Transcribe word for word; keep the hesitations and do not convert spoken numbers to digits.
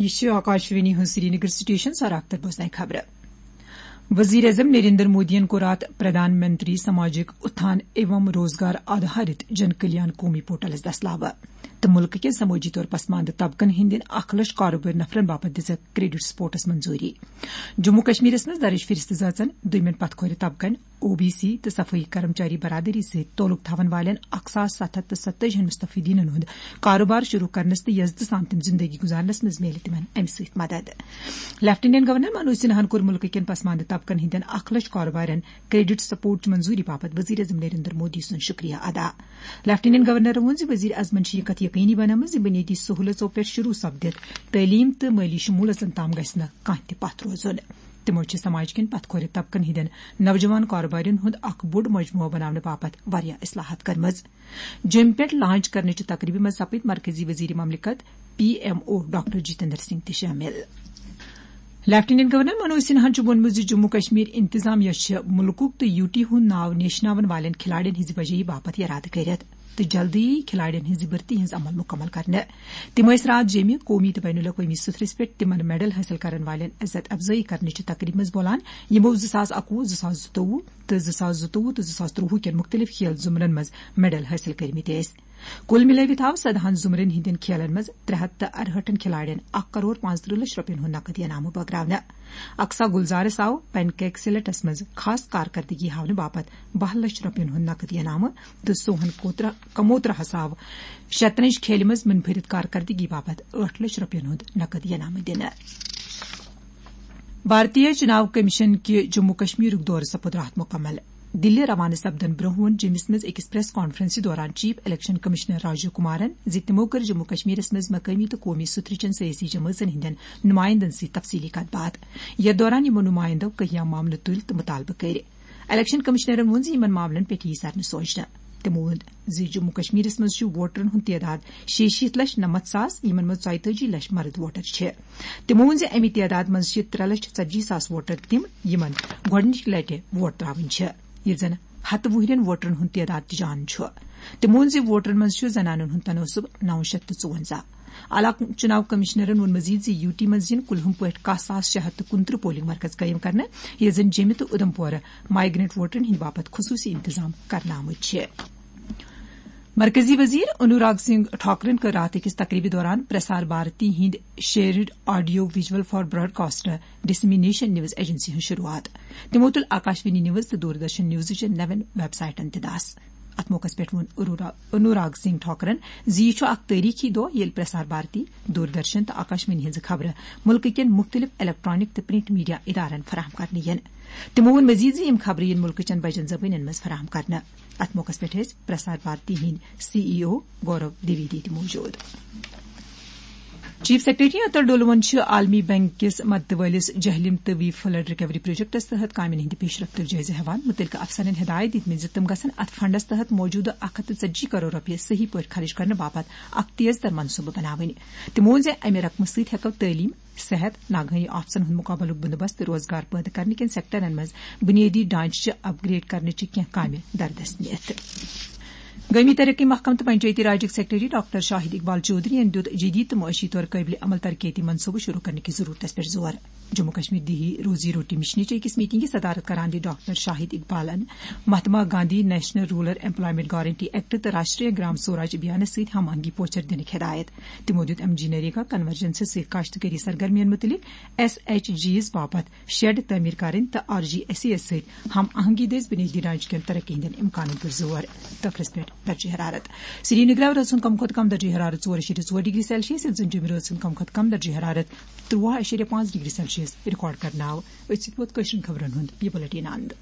یہِ چھِ آکاشوانی ہٕنٛز سرینگر سٹیشن، سراختر بوزناے خبرٕ۔ وزیر اعظم نریندر مودیَن کوٚر راتھ پردھان منتری سماجک اتھان ایوم روزگار آدھارت جن کلیان قومی پورٹلس دستلاوٕ تہٕ مُلکہٕ کٮ۪ن سمٲجی طور پسماندٕ طبقن ہٕنٛدٮ۪ن اکھ لچھ کارٕبٲرۍ نفرن باپتھ دِژٕکھ کریڈٹ سپورٹس منظوٗری۔ جموں کشمیرس منٛز درٕج فہرست زٲژن دوٚیمٮ۪ن پتھ کھورِ طبقن، او بی سی تہٕ صفٲیی کرمچاری برادری سۭتۍ تعلق تھاون والٮ۪ن اکھ ساس ستھ ہتھ تہٕ ستٲجی ہن مستفیدینن ہُنٛد کاروبار شروع کرنس تہٕ یزتہٕ سان تِم زندگی گزارنس منٛز میلہِ تِمن امہِ سۭتۍ مدد۔ لیفٹیننٹ گورنر منوج سنہاہن کوٚر مُلکہٕ کٮ۪ن پسماندٕ طبقن ہٕنٛدٮ۪ن اکھ لچھ کاربارن کریڈٹ سپورٹ چہِ منظوٗری باپتھ وزیر اعظم نریندر مودی سُنٛد شُکریہ ادا۔ لیفٹیننٹ گورنرن ووٚن زِ وزیر اعظمن چھِ یہِ کتھ یقینی بنٲومٕژ زِ بُنیٲدی سہوٗلژو پٮ۪ٹھ شروع سپدِتھ تعلیٖم تہٕ مٲلی شموٗلس تام گژھِ نہٕ کانٛہہ تہِ پتھ روزُن۔ تِمو چھِ سماج کٮ۪ن پتھ کھورِ طبقن ہٕنٛدٮ۪ن نوجوان کاربارین ہُنٛد اکھ بوٚڑ مجموعہٕ بناونہٕ باپتھ واریاہ اصلاحات کٔرمٕژ۔ جیٚمہِ پٮ۪ٹھ لانچ کرنہٕ چہِ تقریبہِ منٛز سپٕدۍ مرکزی وزیر مملکت P M O doctor Jitendra Singh تہِ شٲمِل۔ لیفٹیننٹ گورنر منوج سنہاہن چھُ ووٚنمُت زِ جموں کشمیر انتظامیہ چھِ مُلکُک تہٕ یوٗ ٹی ہُنٛد ناو نیشناوَن والٮ۪ن کھلاڑٮ۪ن ہٕنٛزِ وجٲہی باپتھ یرادٕ کٔرِتھ تہٕ جلدی کھلاڑٮ۪ن ہٕنٛزِ بھرتی ہٕنٛز عمل مُکمل کرنہٕ۔ تِم ٲسۍ راتھ جیٚمہِ قومی تہٕ بین الاقوٲمی سطحس پٮ۪ٹھ تِمن میڈل حٲصِل کرن والٮ۪ن عزت افزٲیی کرنٕچہِ تقریبہِ منٛز بولان، یِمو زٕ ساس اَکوُہ، زٕ ساس زٕتووُہ تہٕ زٕ ساس زٕتووُہ تہٕ زٕ ساس ترٛوٚوُہ کٮ۪ن مُختٔلِف کھیل زمرن منٛز میڈل حٲصِل کٔرمٕتۍ ٲسۍ۔ کُل مِلٲوِتھ آو سدہن زمرن ہٕنٛدٮ۪ن کھیلن منٛز ترٛےٚ ہتھ تہٕ ارہٲٹھن کھلاڑٮ۪ن اکھ کرور پانٛژترٕہ لچھ رۄپین ہُنٛد نقد انعامہٕ بٲگراونہٕ۔ اقصا گلزارس آو پینکیک سلیٹس منٛز خاص کارکردگی ہاونہٕ باپتھ باہ لچھ رۄپین ہُنٛد نقد انعامہٕ تہٕ سوہن کوترا، کموتراہس آو شطرنج کھیلہِ منٛز منفرد کارکردگی باپتھ ٲٹھ لچھ رۄپین ہُنٛد نقد انعامہٕ دِنہٕ۔ بھارتیہ چناو کمیشن کہِ جموں کشمیرُک دورٕ سپُد راتھ مُکمل۔ دِلہِ روانہٕ سپدن برونٛہہ ووٚن جیٚمِس منٛز أکِس پریس کانفرنسہِ دوران chief election commissioner Rajiv Kumaran زِ تِمو کٔر جموں کشمیرس منٛز مقٲمی تہٕ قومی سطحٕچن سیٲسی جمٲژن ہٕنٛدٮ۪ن نُمایندن سۭتۍ تفصیلی کتھ باتھ۔ یتھ دوران یِمو نُمایندو کینٛہہ معاملہٕ تُلۍ تہٕ مُطالبہٕ کٔرۍ۔ الیکشن کمشنرن ووٚن زِ یِمن معاملن پٮ۪ٹھ یی سرنہٕ سونچنہٕ۔ تِمو ووٚن زِ جموں کشمیرس منٛز چھُ ووٹرن ہُنٛد تعداد شیٚیہِ شیٖتھ لچھ نَمَتھ ساس، یِمن منٛز ژۄیہِ تٲجی لچھ مرد ووٹر چھِ۔ تِمو ووٚن زِ اَمہِ تعداد منٛز چھِ ترٛےٚ لچھ ژتجی ساس ووٹر تِم، یِمن گۄڈٕنِچہِ لٹہِ ووٹ ترٛاوٕنۍ چھِ، ییٚلہِ زن ہتہٕ وُہرٮ۪ن ووٹرن ہُنٛد تعداد تہِ جان چھُ۔ تِمو ووٚن زِ ووٹرن منٛز چھُ زنانن ہُنٛد تناسب نو شیٚتھ تہٕ ژُوَنزاہ۔ علاقہٕ چُناو کمشنرن ووٚن مزید زِ یوٗ ٹی منٛز یِن کُلہُم پٲٹھۍ کاہ ساس شےٚ ہتھ تہٕ کُنترٕہ پولنگ مرکز قٲیِم کرنہٕ، ییٚتہِ زن جیٚمہِ تہٕ اُدھمپورٕ مایگرنٹ ووٹرن ہٕنٛدِ باپتھ خصوٗصی انتظام کرنہٕ آمٕتۍ چھِ۔ مرکزی وزیر انوراگ سنگھ ٹھاکرن کٔر راتھ أکِس تقریبہِ دوران پرسار بھارتی ہٕنٛدِ shared audio visual for broadcast dissemination news agency ہٕنٛز شروعات۔ تِمو تُل آکاشوانی نیوز تہٕ دوردرشن نیوزٕچن نوٮ۪ن ویب سائٹن تہِ دس۔ اتھ موقعس پٮ۪ٹھ ووٚن اروڑا-، انوراگ سنگھ ٹھاکرن زِ یہِ چھُ اکھ تٲریخی دۄہ، ییٚلہِ پرسار بھارتی، دوردرشن تہٕ آکاشوانی ہٕنٛزٕ خبرٕ مُلکہٕ کٮ۪ن مُختٔلِف الیکٹرانک تہٕ پرنٹ میڈیا ادارن فراہم کرنہٕ یِن۔ تِمو ووٚن مزید زِ یِم خبرٕ یِن مُلکہٕ چٮ۪ن بجن زبٲنٮ۪ن منٛز فراہم کرنہٕ۔ اتھ موقعس پٮ۪ٹھ ٲسۍ پرسار بھارتی ہٕنٛدۍ سی ای او گورو دویدی تہِ موجود۔ چیف سیکرٹری عطا ڈولون چھُ عالمی بینک کِس مدتہٕ وٲلِس جہلم تہٕ وی فلڈ ریکوری پروجیکٹس تحت کامٮ۪ن ہٕنٛدِ پیش رفتُک جٲیزٕ ہٮ۪وان۔ مُتعلقہٕ افسرن ہدایت دِتمٕتۍ زِ تِم گژھن اتھ فنڈس تحت موجودٕ اکھ ہتھ تہٕ ژتجی کرور رۄپیہِ صحیح پٲٹھۍ خرٕچ کرنہٕ باپتھ اکھ تیز تر منصوبہٕ بناوٕنۍ۔ تِمو ووٚن زِ امہِ رقمہٕ سۭتۍ ہٮ۪کو تعلیٖم، صحت، ناگہٲنی آفژن ہُنٛد مُقابلُک بندوبست تہٕ روزگار پٲدٕ کرنہٕ کٮ۪ن سیکٹرن منٛز بُنیٲدی ڈھانچہٕ چہِ اپ گریڈ کرنٕچہِ کینٛہہ کامہِ دردس نِتھ۔ گٲمی ترقی محکمہٕ تہٕ پنچایتی راجٕکۍ سیکرٹری ڈاکٹر شاہد اقبال چودھرین دِیُت جدید تہٕ معاشی طور قٲبلِ عمل ترقیتی منصوبہٕ شروع کرنہٕ کہِ ضرورتس پٮ۪ٹھ زور۔ جموں کشمیر دیہی روزی روٹی مشنٕچ أکِس میٹنگہِ صدارت کران دِتھ ڈاکٹر شاہد اقبالن Mahatma Gandhi national rural employment guarantee act تہٕ راشٹریہ گرام سوراج ابھیانس سۭتۍ ہم آہنگی پوچھر دِنٕکۍ ہدایت۔ تِمو دِیُت ایم جی نریگا کنورجنس سۭتۍ کاشتکٲری سرگرمین مُتعلق ایس ایچ جیز باپتھ شیڈ تعمیر کرٕنۍ تہٕ آر جی ایس سی یس سۭتۍ ہم آہنگی دٔسۍ بُنیٲدی ڈھانچہٕ کٮ۪ن ترقی ہٕنٛدٮ۪ن امکانن پٮ۪ٹھ زور۔ تفریحس پٮ۪ٹھ درجہ حرارت۔ سرینگرٕ آو رٲژ ہُنٛد کم کھۄتہٕ کم درجہ حرارت ژور اَشیریہ ژور ڈگری سیلسیس، ییٚلہِ زن جوٚمہِ رٲژ ہُنٛد کم کھۄتہٕ کم درجہ حرارت تُرٛواہ اَشیریہ پانٛژھ ڈگری سیلسیس ریکارڈ کرنہٕ آو۔ أتھۍ سۭتۍ ووت کٲشرٮ۪ن خبرن ہُنٛد یہِ بُلٹن اند۔